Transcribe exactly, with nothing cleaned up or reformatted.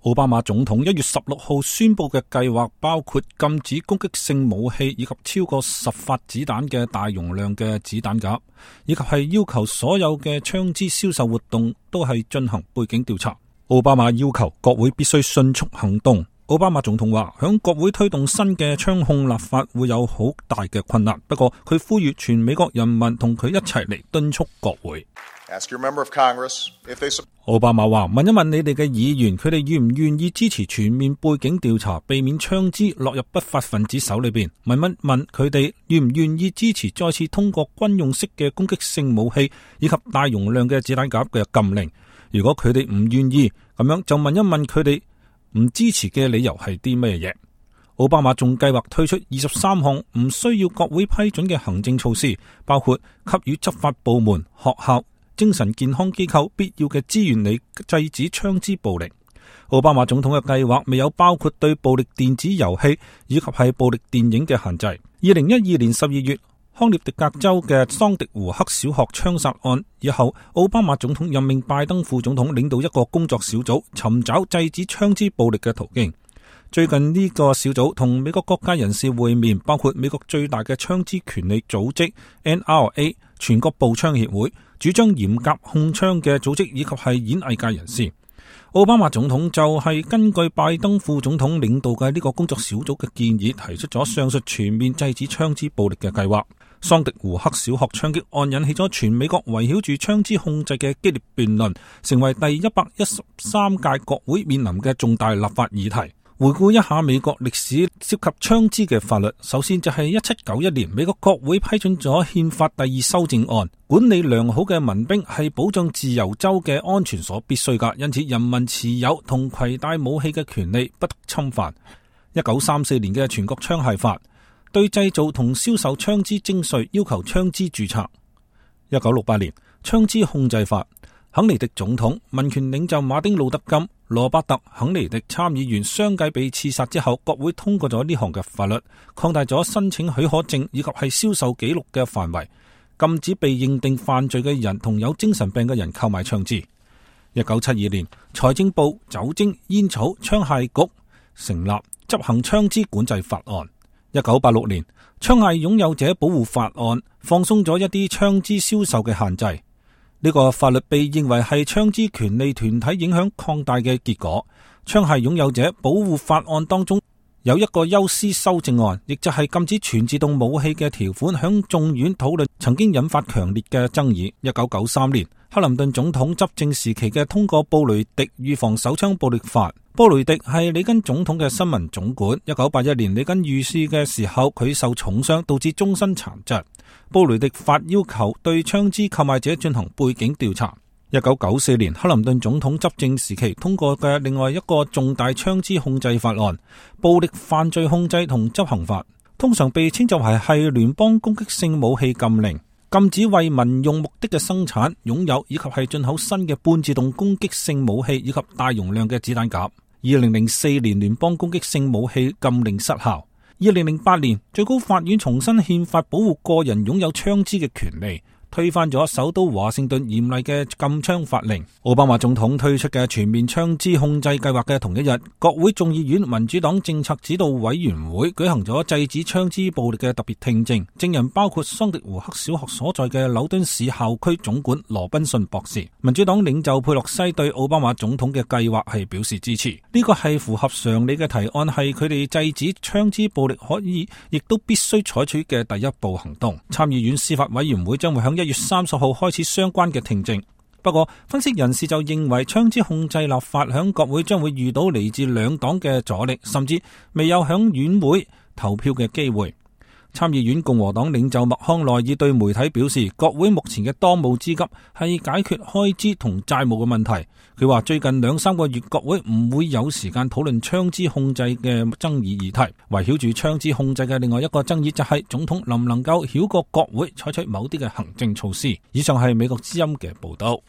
奧巴馬總統一月十六號宣布嘅計劃包括禁止攻擊性武器以及超過十發子彈嘅大容量嘅子彈夾，以及係要求所有嘅槍支銷售活動都係進行背景調查。奧巴馬要求國會必須迅速行動。奧巴馬總統話，響國會推動新嘅槍控立法會有好大嘅困難，不過佢呼籲全美國人民同佢一齊嚟敦促國會。奧巴馬話，問一問你哋嘅議員，佢哋願唔願意支持全面背景調查，避免槍支落入不法分子手裏邊？問一問佢哋願唔願意支持再次通過軍用式嘅攻擊性武器以及大容量嘅子彈夾嘅禁令？如果佢哋唔願意，咁樣就問一問佢哋唔支持嘅理由係啲咩嘢？奧巴馬仲計劃推出二十三項唔需要國會批准嘅行政措施，包括給予執法部門、學校、精神健康機構必要嘅資源嚟制止槍支暴力。奧巴馬總統嘅計劃未有包括對暴力電子遊戲以及係暴力電影嘅限制。二零一二年十二月，康涅狄格州嘅桑迪胡克小學槍殺案以後，奧巴馬總統任命拜登副總統領導一個工作小組，尋找制止槍支暴力嘅途徑。最近呢個小組同美國各界人士會面，包括美國最大嘅槍支權利組織 N R A 全國步槍協會、主張嚴格控槍嘅組織以及係演藝界人士。奧巴馬總統就係根據拜登副總統領導嘅呢個工作小組嘅建議，提出咗上述全面制止槍支暴力嘅計劃。桑迪胡克小學槍擊案引起咗全美國圍繞住槍支控制嘅激烈辯論，成為第一百一十三屆國會面臨嘅重大立法議題。回顧一下美國歷史涉及槍支嘅法律，首先就係一七九一年，美國國會批准咗憲法第二修正案，管理良好嘅民兵係保障自由州嘅安全所必須噶，因此人民持有同攜帶武器嘅權利不得侵犯。一九三四年嘅全國槍械法對製造同銷售槍支徵稅，要求槍支註冊。一九六八年槍支控制法，肯尼迪總統、民權領袖馬丁路德金、羅伯特·肯尼迪參議員相繼被刺殺之後，國會通過咗呢項嘅法律，擴大咗申請許可證以及係銷售記錄嘅範圍，禁止被認定犯罪嘅人同有精神病嘅人購買槍支。一九七二年，財政部酒精、煙草、槍械局成立，執行槍支管制法案。一九八六年，槍械擁有者保護法案放鬆咗一啲槍支銷售嘅限制。呢個法律被認為係槍支權利團體影響擴大嘅結果。槍械擁有者保護法案當中有一個休斯修正案，亦就係禁止全自動武器嘅條款，響眾院討論曾經引發強烈嘅爭議。一九九三年，克林頓總統執政時期嘅通過布雷迪預防手槍暴力法。布雷迪係里根總統嘅新聞總管。一九八一年，里根遇事嘅時候，佢受重傷，導致終身殘疾。布雷迪法要求對槍支購買者進行背景調查。一九九四年，克林頓總統執政時期通過嘅另外一個重大槍支控制法案——暴力犯罪控制同執行法，通常被稱作為係聯邦攻擊性武器禁令，禁止為民用目的嘅生產、擁有以及係進口新嘅半自動攻擊性武器以及大容量嘅子彈夾。二零零四年，聯邦攻擊性武器禁令失效。二零零八年，最高法院重新憲法保護個人擁有槍支嘅權利，推翻咗首都華盛頓嚴厲嘅禁槍法令。奧巴馬總統推出嘅全面槍支控制計劃嘅同一日，國會眾議院民主黨政策指導委員會舉行咗制止槍支暴力嘅特別聽證，證人包括桑迪胡克小學所在嘅紐敦市校區總管羅賓遜博士。民主黨領袖佩洛西對奧巴馬總統嘅計劃係表示支持，呢個係符合常理嘅提案，係佢哋制止槍支暴力可以亦都必須採取嘅第一步行動。參議院司法委員會將會響一月三十號開始相關嘅聽證。不過分析人士就認為槍支控制立法響國會將會遇到嚟自兩黨嘅阻力，甚至未有響院會投票嘅機會。參議院共和黨領袖麥康奈爾對媒體表示，國會目前嘅當務之急係解決開支同債務嘅問題。佢話最近兩三個月國會唔會有時間討論槍支控制嘅爭議議題。圍繞住槍支控制嘅另外一個爭議就係總統能唔能夠繞過國會採取某啲嘅行政措施。以上係美國之音嘅報道。